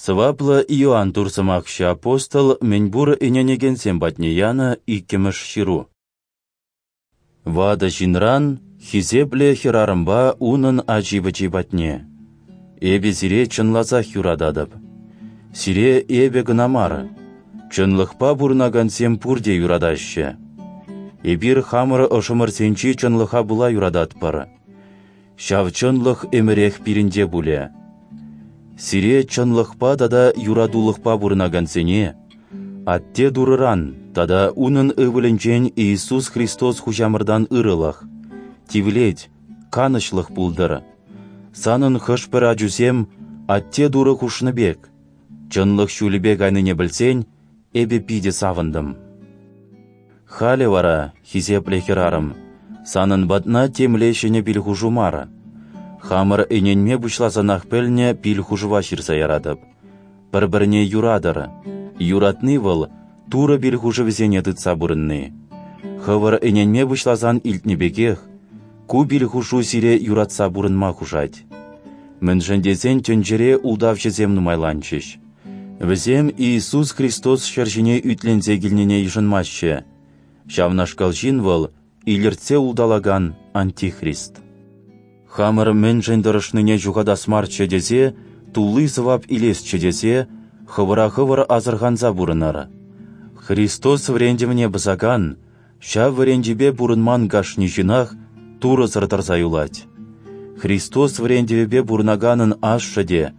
Сӑваплӑ Иоанн Турсӑмахҫӑ апостол мӗнпур ӗненекенсем патне янӑ иккӗмӗш ҫыру. Ватӑ ҫынран хисеплӗ хӗрарӑмпа унӑн ачи-пӑчи патне. Эпӗ сире чӑнласах юрататӑп. Сире эпӗ кӑна мар, чӑнлӑхпа пурӑнакансем пурте юратаҫҫӗ. Эпир хамӑр ӑшӑмӑрсенчи чӑнлӑха пула юрататпӑр. Ҫав чӑнлӑх ӗмӗрех пирӗнте пулӗ. Сире чӑнлӑхпа тата юратулӑхпа пурӑнакансене Атте Турӑран тата Унӑн Ывӑлӗнчен Иисус Христос Хуҫамӑртан ырӑлӑх, тивлет, канӑҫлӑх пултӑр. Санӑн хӑш-пӗр ачусем Атте Турӑ хушнӑ пек, чӑнлӑх ҫулӗпе кайнине пӗлсен, эпӗ питӗ савӑнтӑм. Халӗ вара, хисеплӗ хӗрарӑм, санӑн патна темле ҫӗнӗ пил-хушу мар. Хамӑр ӗненме пуҫласанах пӗлнӗ пил-хушӑва ҫырса яратӑп. Пӗр-пӗрне юратӑр. Юратни вӑл Турӑ пил-хушӑвӗсене тытса пурӑнни. Хӑвӑр ӗненме пуҫласан илтнӗ пекех, ку пил-хушу сире юратса пурӑнма хушать. Мӗншӗн тесен тӗнчере ултавҫӑсем нумайланчӗҫ. Вӗсем Иисус Христос ҫӗр ҫине ӳтленсе килнине йышӑнмаҫҫӗ. Ҫавнашкал ҫын вӑл илӗртсе улталакан антихрист. Хамӑр мӗншӗн тӑрӑшнине ҫухатас марччӗ тесе, тулли сӑвап илесчӗ тесе, хӑвӑра хӑвӑр асӑрханса пурӑнӑр. Христос вӗрентӗвне пӑсакан, ҫав вӗрентӳпе пурӑнман кашни ҫынах Турӑсӑр тӑрса юлать. Христос вӗрентӗвӗпе пурӑнаканӑн ашшӗ те,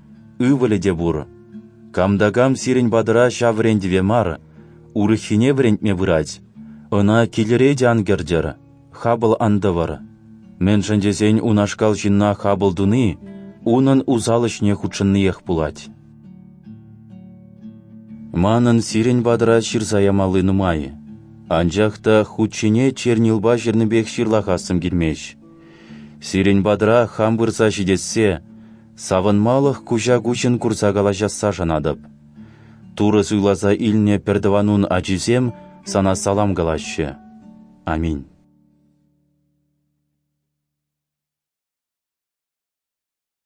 ывӑлӗ те пур. Кам та кам сирӗн патӑра ҫав вӗрентӗве мар, урӑххине вӗрентме пырать, ӑна килӗре те ан кӗртӗр, хапӑл ан тӑвӑр. Мӗншӗн тесен унашкал ҫынна хапӑл туни унӑн усал ӗҫне хутшӑнниех пулать. Манӑн сирӗн патӑра ҫырса ямалли нумай, анчах та хут ҫине чернилпа ҫырнипех ҫырлахассӑм килмест. Сирӗн патӑра хам пырса ҫитессе, савӑнмалӑх куҫа-куҫӑн курса калаҫасса шанатӑп. Турӑ суйласа илнӗ пӗртӑванун ачисем сана салам калаҫҫӗ. Аминь.